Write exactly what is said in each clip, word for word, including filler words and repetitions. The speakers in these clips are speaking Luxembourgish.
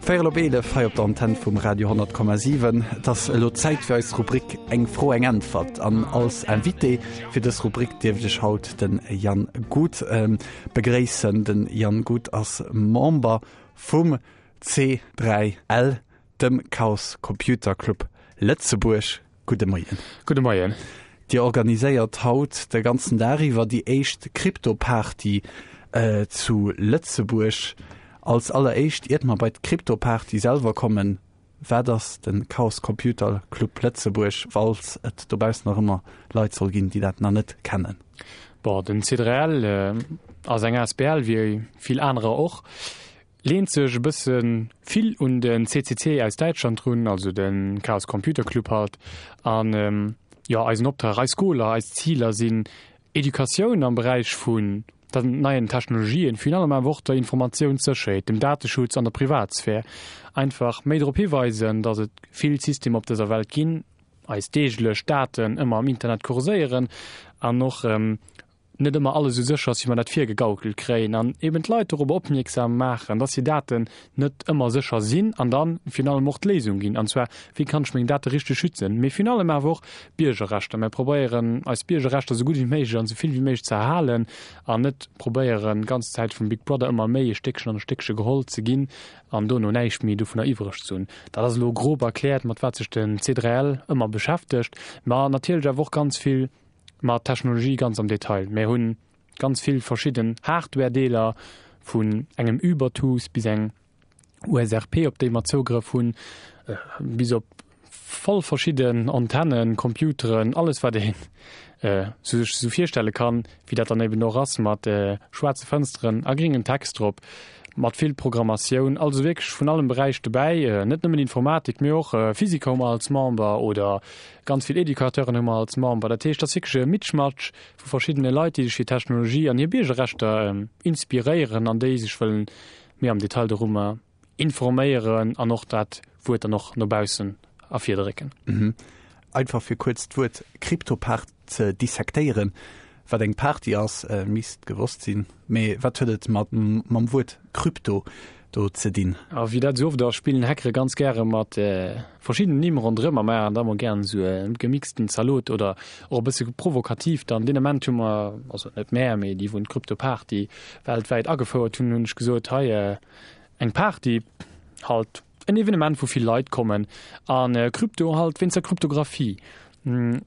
Véierel op eelef hei op der Antenn vum Radio honnert Komma siwen. Et ass elo Zäit fir eis Rubrik Eng Fro, eng Äntwert. An als Invité fir dës Rubrik dierf ech haut den Yann Gut begréissen. Den Yann Gut ass Member vum C dräi L, dem Chaos Computer Club Lëtzebuerg. Gudde Moien. Gudde Moien. Dir organiséiert haut de ganzen Dag iwwer déi éischt Krypto-Party zu Lëtzebuerg. Als alleréischt, iert mer bei d'Krypto-Party selwer kommen, wat ass de Chaos Computer Club Lëtzebuerg, falls et dobaussen nach ëmmer Leit soll ginn, déi dat nach net kennen? Bon, den C dräi L ass eng asbl, wéi vill anerer och, leent sech e bësse vill un den C C C aus Däitschland drun, also de Chaos Computer Club halt. An jo, eisen Optrag, eis Goaler, eis Ziler sinn Educatioun am Beräich vun den neien Technologien, virun allem awer och der Informatiounssécherheet, dem Dateschutz an der Privatsphär. Einfach méi drop hiweisen, datt et vill Systemer op dëser Welt ginn, eis deeglech Daten ëmmer am Internet kurséieren an och net ëmmer alles esou sécher ass, wéi mer dat virgegaukelt kréien, an eben d'Leit dorobber opmierksam maachen, dass hir Daten net ëmmer sécher sinn an dann virun allem och d'Léisung ginn, an zwar, wéi kann ech meng Date richteg schützen, mee virun allem awer och Biergerrechter. Mir probéieren, eis Biergerrechter esou gutt wéi méiglech an esou vill wéi méiglech ze erhalen an net probéieren, d'ganz Zäit vum Big Brother ëmmer méi e Stéckchen an e Stéckche geholl ze ginn an dono näischt méi dovunner iwwreg ze hunn. Dat ass elo grob erkläert, mat wat sech den C drei L ëmmer beschäftegt, ma natierlech awer och ganz vill mat Technologie ganz am Detail. Mir hunn ganz vill verschidden Hardware-Deeler, vun engem Ubertooth bis eng U S R P, op déi mer Zougrëff hunn, bis op voll verschidden Antennen, Computeren, alles wat een sech esou virstelle kann, wéi dat dann eben och ass mat schwaarze Fënsteren a gringem Text drop, mat vill Programmatioun, also wierklech vun allem Beräich dobäi, net nëmmen Informatik, mee och Physiker hu mer als Member oder ganz vill Educateuren hu mer als Member. Dat heescht, dat ass wierklech e Mitschmatsch vu verschiddene Leit, déi sech fir Technologie an hir Biergerrechter inspiréieren an déi sech wëllen méi am Detail dorummer informéieren an och dat Wuert dann och no baussen ervirdrécken. Mhm. Einfach fir kuerz d'Wuert Kryptopart ze dissektéieren, wat eng Party ass, äh, misst gewosst sinn. Mee wat huet et mat, mam Wuert Krypto do ze dinn? A wéi dat esou oft ass, spillen Hackere ganz gäre mat äh, verschiddenen Nimm ronderëm a maachen da mol gären esou e gemixten Zalot oder och e bësse provokativ. Dann deen Ament hu mer, also net mär, mee déi wou d'Kryptoparty weltwäit agefouert hunn, hunn ech gesot, hei, äh, eng Party, halt en Evenement, wou vill Leit kommen, an äh, Krypto halt wéinst der Kryptographie. Hm,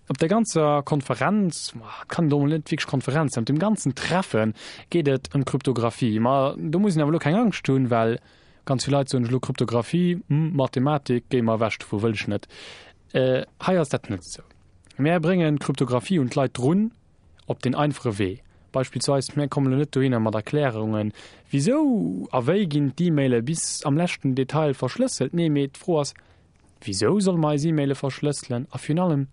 op der ganzer Konferenz, ma, kann do net wierklech Konferenz sein, op dem ganzen Treffen geet et ëm Kryptographie. Ma do muss een awer elo keng Angscht hunn, well ganz vill Leit soen elo Kryptographie, hm, Mathematik, géi mer ewech dovu, wëll ech net. Äh, hei ass dat net esou. Mär bréngen Kryptographie un d'Leit drun op den einfache Wee. Beispillsweis, mär kommen elo net dohinner mat Erklärungen, wisou a wéi ginn d'E-Maile bis am leschten Detail verschlësselt. Nee, mee d'Fro ass, wisou solle mer eis E-Maile verschlësselen a virun allem,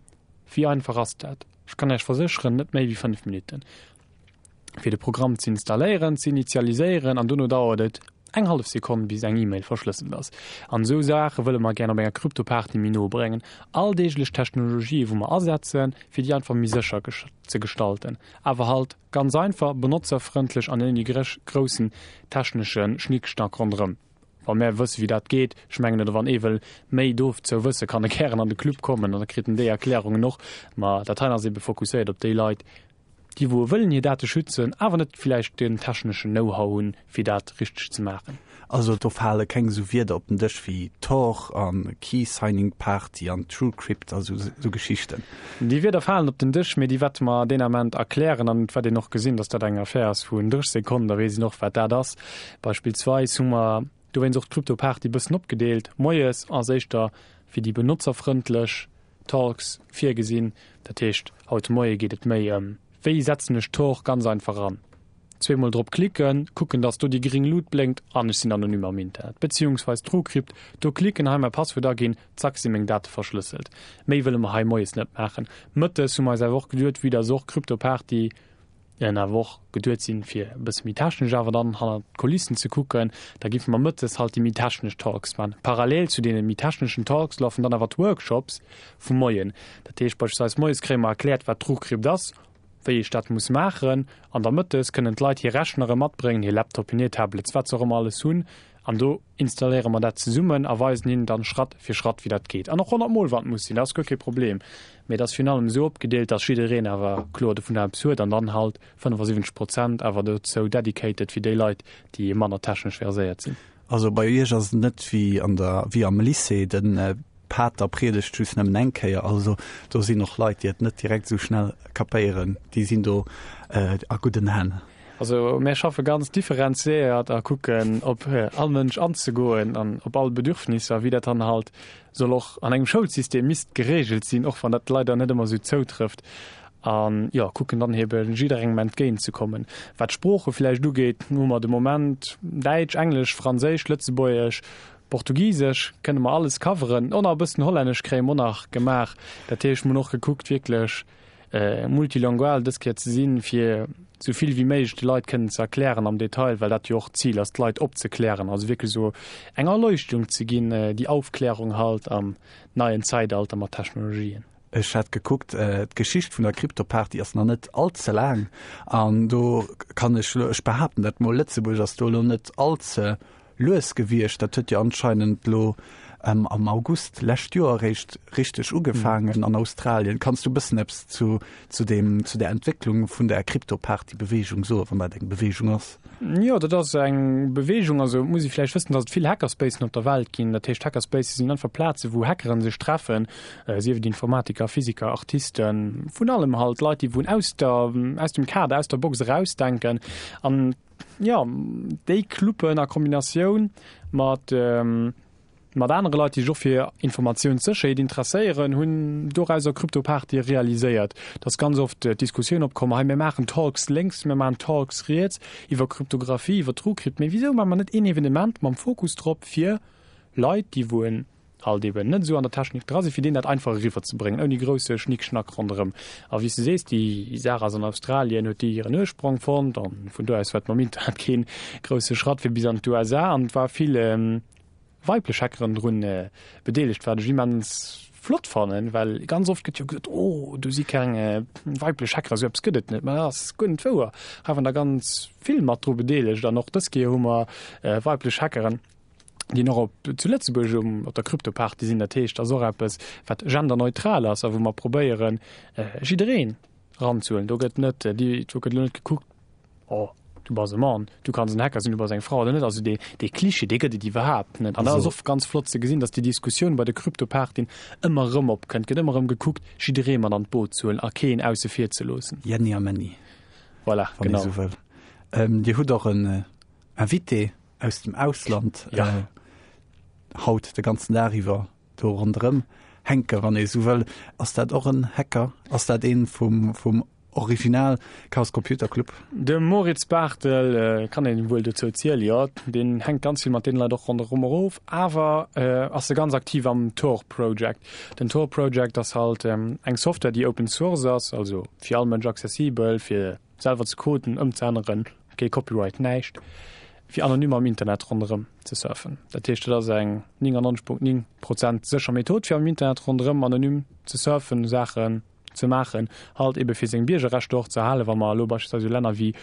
wéi einfach ass dat? Ech kann Iech versécheren, net méi wéi fënnef Minutten, fir de Programm ze installéieren, ze initialiséieren, an dono dauert et eng hallef Sekonn, bis eng E-Mail verschlësselt ass. An esou Saache wëlle mer gär op enger Kryptoparty méi no bréngen. Alldeeglech Technologië, wou mer asetzen, fir déi einfach méi sécher ze gestalten. Awer halt ganz einfach, benotzerfrëndlech an ouni groussen technesche Schnickschnack ronderëm. Wa mär wësse wéi dat geet, ech mengen, oder wann ee wëll méi dozou wësse, kann e gären an de Club kommen an da kritt en déi Erklärungen och. Ma dat hei ass ebe fokusséiert op déi Leit, déi wou wëllen hir Date schützen, awer net villäicht den techneschen Know-how hunn, fir dat richteg ze maachen. Also do fale keng esou Wierder op den Dësch wéi Tor an Key Signing Party an TrueCrypt a sou, sou Geschichten. Déi Wierder falen op den Dësch, mee déi wäerte mer deen Ament erklären an et wäert een och gesinn, dass dat eng Affär ass vun dräisseg Sekonnen, da weess een och, wat dat ass. Beispillsweis hu mer dowéinst och d'Kryptoparty e bëssen opgedeelt. Moies ass éischter fir déi benotzerfrëndlech Talks virgesinn. Dat heescht, haut de Moie geet et méi ëm, wéi setzen ech Tor ganz einfach an? Zweemol drop klicken, kucken, dass do déi gring Lut blénkt an ech sinn anonym am Internet. Beziehungsweis TrueCrypt, do klicken, hei mäi Passwuert aginn, zack si meng Date verschlësselt. Méi wëlle mer hei moies net maachen. Mëttes hu mer eis awer och geduet, vue dass och Kryptoparty en awer och geduet sinn, fir e bësse méi technesch awer dann hannert d'Kulissen ze kucken, da giffe mer mëttes halt déi méi technesch Talks man. Parallel zu deene méi techneschen Talks laufen dann awer d'Workshops vum Moien. Dat heescht beispillsweis moies kréie mer erkläert, wat TrueCrypt ass, wéi ech dat muss maachen, an da mëttes kënnen d'Leit hir Rechnere matbréngen, hir Laptopen, hir Tablets, wat se och ëmmer alles hunn, An do installéiere mer dat zesummen a weisen hinnen dann Schratt fir Schratt, wéi dat geet. An och honnert Mol, wann et muss sinn, dat ass guer kee Problem. Mee et ass virun allem esou opgedeelt, dass jiddereen awer kloer dovunner eppes huet an dann halt fënnefasiwwenzeg Prozent awer dozou dedicated fir déi Leit, déi manner technesch verséiert sinn. Also bei Iech ass et net wéi an der, wéi am Lycée, de Pater priedegt just nëmmen eng Kéier. Also do sinn och Leit, déi et net direkt esou schnell kapéieren, déi sinn do a gudden Hänn. Also mär schaffe ganz differenziéiert a kucken op all Mënsch anzegoen an op all Bedürfnisser, wéi dat dann halt soll och an engem Schoulsystem misst geregelt sinn, och wann dat leider net ëmmer esou zoutrëfft. An jo, kucken dann hebe jidderengem entgéint ze kommen. Wat d'Sprooche vläicht ugeet, hu mer de Moment Däitsch, Englesch, Franséisch, Lëtzebuergesch, Portugisesch kënne mer alles coveren. Och nach e bëssen Hollännesch kréie mer och nach gemaach. Dat heescht, mer hunn och gekuckt wierklech multilingual dës Kéier ze sinn, fir esou vill wéi méiglech de Leit kënnen ze erklären am Detail, well dat jo och d'Zil ass, d'Leit opzeklären, also wierklech esou eng Erleuchtung ze ginn, déi Aufklärung halt am neien Zeitalter mat Technologien. Ech hat gekuckt, d'Geschicht vun der Crypto-Party ass nach net all ze laang an do kann ech elo, ech behaapten dat mol, Lëtzebuerg ass do elo net all ze lues gewiescht. Dat huet jo anscheinend elo am August lescht Joer eréischt richteg ugefaangen an Australien. Kanns du e bëssen eppes zu zu deem, zu der Entwécklung vun der Crypto-Party-Beweegung soen, wann dat eng Beweegung ass? Jo, dat ass eng Beweegung. Also et muss ee vläicht wëssen, datt et vill Hackerspacen op der Welt ginn. Dat heescht, Hackerspaces sinn einfach Plaze wou Hackeren sech treffen, sief et Informatiker, Physiker, Artisten, vun allem halt, Leit déi wou aus der, aus dem Kader, aus der Box erausdenken. An jo, déi Cluben a Kombinatioun mat mat anere Leit, déi sech och fir Informatiounssécherheet interesséieren, hunn dorauser Kryptopartye realiséiert. Et ass ganz oft d'Diskussioun opkomm, hei mir maachen Talks lénks, mir maachen Talks riets iwwer Kryptographie, iwwer TrueCrypt, mee wisou maache mer net een Evenement mam Fokus drop, fir Leit, déi wou en halt eben net esou an der Technik dra sinn, fir deenen dat einfach eriwwer ze bréngen, ouni grousse Schnickschnack ronderëm. A wéi s de sees, déi Saach ass an Australien, huet déi hiren Ursprong fonnt an vun do aus war et mam Internet kee grousse Schratt fir bis an d'USA an et war vill weiblech Hackeren drun bedeelegt, wat ech immens flott fannen, well ganz oft gëtt jo gesot, oh do si keng weiblech Hacker, esou eppes gëtt et net. Mä dat ass guer net wouer, hei waren der ganz vill mat dru bedeelegt an och dës Kéier hu mer weiblech Hackeren, déi och op zu Lëtzebuerg um op der Kryptoparty sinn. Dat heescht, dat ass och eppes, wat genderneutral ass a wou mer probéieren, jiddereen eranzehuelen. Do gëtt net, do gëtt elo net gekuckt, oh, du bass e Mann, du kanns en Hacker sinn, du bass eng Fra oder net. Also dee, dee Klischee, dee gëtt et iwwerhaapt net. An dat ass och ganz flott ze gesinn, datt déi Diskussioun bei de Kryptopartyen ëmmer erëm opkënnt. Gëtt ëmmer erëm gekuckt, jidderee mat an d'Boot ze huelen a keen ausse vir ze loossen. Jenni a Männi. Voilà, wann ee genau. sou wëll. Ähm, Dir hutt och en Invité aus dem Ausland Ja. äh, haut de ganzen Dag iwwer do ronderëm hänken, wann ee sou wëll. Ass dat och en Hacker? Ass dat een vum, vum Original Chaos Computer Club? De Moritz Barthel kann een wuel dozou zielen, jo. Deen hänkt ganz vill mat deene Leit och ronderëm erof, awer ass e ganz aktiv am Tor Project. Den Tor Project ass halt eng Software, déi Open Source ass, also fir all Mënsch accessibel, fir selwer ze coden, ëmzeänneren, kee Copyright, näischt, fir anonym am Internet ronderëm ze surfen. Dat heescht, dat ass eng néngannonzeg Punkt néng Prozent sécher Method, fir am Internet ronderëm anonym ze surfen, Saachen ze maachen, halt ebe fir seng Biergerrechter och ze erhalen, wa mer elo beispillsweis u Länner wéi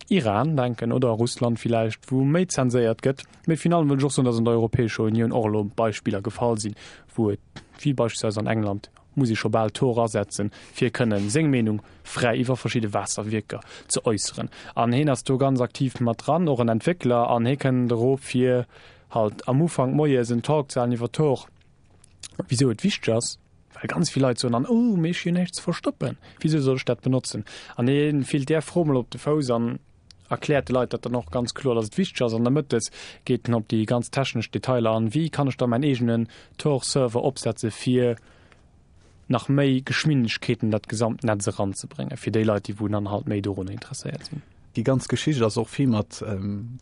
Iran denken oder Russland villäicht, wou méi zenséiert gëtt. Mee finalement wëll ech och soen, datt an der Europäescher Unioun och elo Beispiller gefall sinn, wou et, wéi beispillsweis an England, muss ee scho bal Tor asetzen, fir kënnen seng Meenung fräi iwwer verschidde Waasserwierker ze äusseren. An heen ass do ganz aktiv mat dran, och en Entwéckler, an hee kënnt erof, fir halt am Ufank moies en Talk ze halen iwwer Tor, wisou et wichteg ass, well ganz vill Leit soen dann, oh, mee ech hu jo näischt ze verstoppen, wisou soll ech dat benotzen? An hie fillt där Fro mol op de Fouss an erkläert de Leit dat dann och ganz kloer, dass et wichteg ass. An da mëttes geet en op déi ganz technesch Detailer an, wéi kann ech da mäin eegenen Tor-Server opsetze fir nach méi Geschwindegkeeten dat gesamt Netz eranzebréngen, fir déi Leit, déi wou dann halt méi dorunner interesséiert sinn. Déi ganz Geschicht ass och vill mat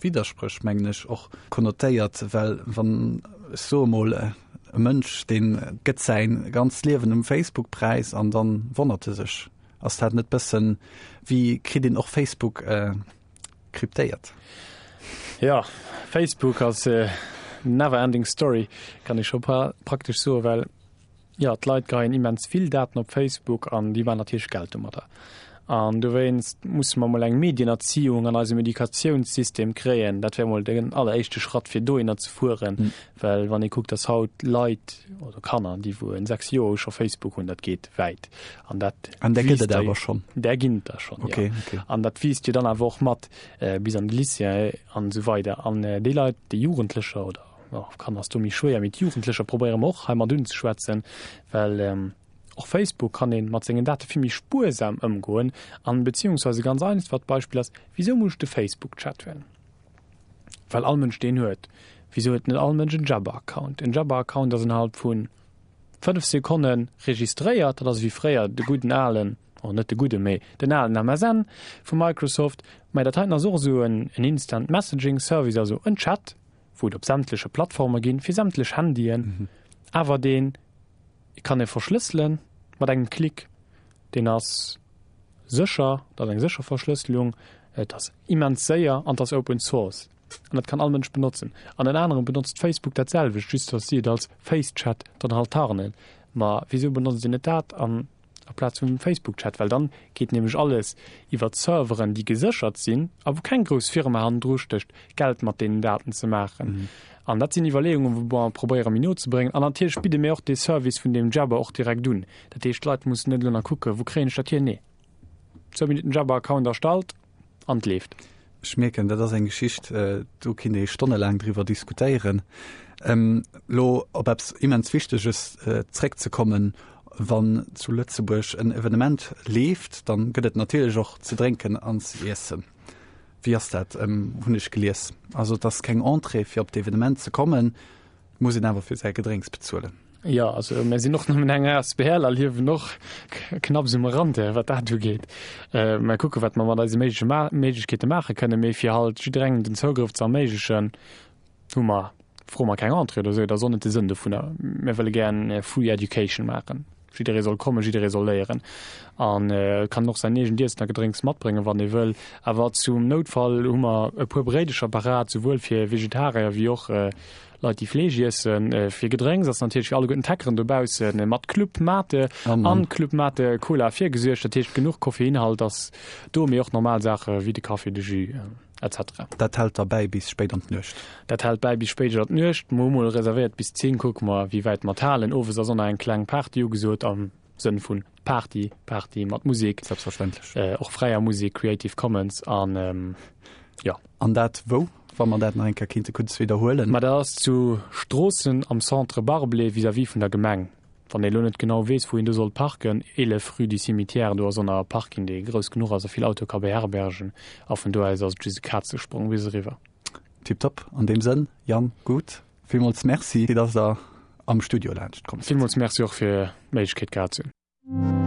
Widderspréch, mengen ech, och konnotéiert, well wann, ech soe mol, e Mënsch, dee gëtt säi ganzt Liewen um Facebook präis an dann wonnert e sech, ass dat net bëssen, wéi kritt een och Facebook kryptéiert? Jo, Facebook ass never ending story, kann ee scho praktesch soen, well jo, d'Leit geheien immens vill Daten op Facebook an déi maachen natierlech Geld domadder. An dowéinst musse mer mol eng Medienerziehung an eisem Educatiounssystem kréien. Dat wär mol den alleréischte Schratt, fir dohinner ze fueren. Well wann ee kuckt, dass haut Leit oder Kanner, déi wou en sechs Joer hu scho Facebook hunn, dat geet wäit. An dat An där gëtt wiisst et awer schonn. Där ginn et der schonn, jo. Okay, okay. An dat wiisst jo dann awer och mat bis an de Lycée an esou weider. An déi Leit, déi Jugendlecher oder, jo, Kanner ass do méi schwéier, mee d'Jugendlecher probéiere mer och hei mat unzeschwätzen, well och Facebook kann ee mat sengen Date vill méi spuersam ëmgoen. An beziehungsweise ganz einfacht Beispill ass, Wisou muss ech de Facebook-Chat hunn? Well all Mënsch deen huet. Wisou huet net all Mënsch en Jabber-Account? En Jabber-Account ass innerhalb vu fënnef Sekonne registréiert. Dat ass ewéi fréier de gudden alen, oh net de gudden, mee den alen M S N vu Microsoft. Mä dat heiten ass och esou en Instant Messaging Service, also en Chat, wou et op sämtleche Plattforme ginn, fir sämtlech Handyen, awer dee kann ee verschlësselen mat engem Klick. Deen ass sécher, dat ass eng sécher Verschlësselung, et ass immens séier an et ass Open Source. An dat kann all Mënsch benotzen. An ënner anerem benotzt Facebook dat selwecht, just datt si et als Facechat dann halt tarnen. Ma wisou benotzt een net dat an aplaz vum Facebook-Chat? Well dann geet nämlech alles iwwer Serveren, déi geséchert sinn a wou keng grouss Firma hannendru stécht, Geld mat deenen Daten ze maachen. An dat sinn Iwwerleeungen, wou mer probéiere méi no ze bréngen. An natierlech bidde mir och dee Service vun deem Jabber och direkt un. Dat heescht, d'Leit mussen net elo nach kucken, wou kréien ech dat hier? Nee, zwou Minutten Jabber-Account erstallt an et leeft. Ech mierken, dat ass eng Geschicht, do kinnt ee stonnelaang driwwer diskutéieren. Elo op eppes immens Wichteges zréckzekommen, Wann zu Lëtzebuerg en Evenement leeft, dann gëtt et natierlech och ze drénken an ze iessen. Wéi ass dat, hunn ech gelies. Also et ass keng Entrée fir op d'Evenement ze kommen, et muss een awer fir säi Gedrénks bezuelen. Jo, also mir sinn och nëmmen eng asbl a liewen och knapps um Rand, wat dat ugeet. Mer kucke wat mer mat eise Méiglechkeete maache kënnen, mee fir halt jidderengem den Zougrëff ze erméiglechen, hu mer, froe mer keng Entrée oder esou, dat ass och net de Sënn dovunner. Mir wëlle gär free education maachen. Jidderee soll kommen, jidderee soll léieren an kann och säin eegent Iessen a Gedrénks matbréngen, wann ee wëll. Awer zum Noutfall hu mer e puer Bréidecher parat, souwuel fir Vegetarier wéi och Leit, déi Fleesch iessen. Fir Gedrénks ass natierlech fir alleguerten d'Hackeren dobausse mat Club Mate an Club Mate Cola virgesuergt. Dat heescht, genuch Koffeinhalt ass do, mee och normal Saache wéi de Kaffi, de Jus. Etc. Dat hält da bäi bis spéit an d'Nuecht? Dat hält bäi bis spéit an d'Nuecht. Mer hu mol reservéiert bis zéng, kucke mer wéi wäit mer et halen. Owes ass och nach eng kleng Party ugesot, am Sënn vun Party, Party mat Musek. Selbstverständlech. Och fräier Musek, Creative Commons an jo. An dat wou, wa mer dat nach eng Kéier kéinte kuerz widderhuelen? Ma dat ass zu Stroossen am Centre Barblé vis-à-vis vun der Gemeng. Wann ee lo net genau weess, wou een do soll parken, eelef rue du Cimetière, do ass och nach e Parking, dee grouss genuch ass a vill Autoe ka beherbergen. A vun do aus ass et just e Kazesprong bis eriwwer. Tiptop. An deem Sënn, Yann Guth, villmools Merci, dass Der am Studio laanscht komm sidd. Villmools Merci och fir d'Méiglechkeet gehat ze hunn.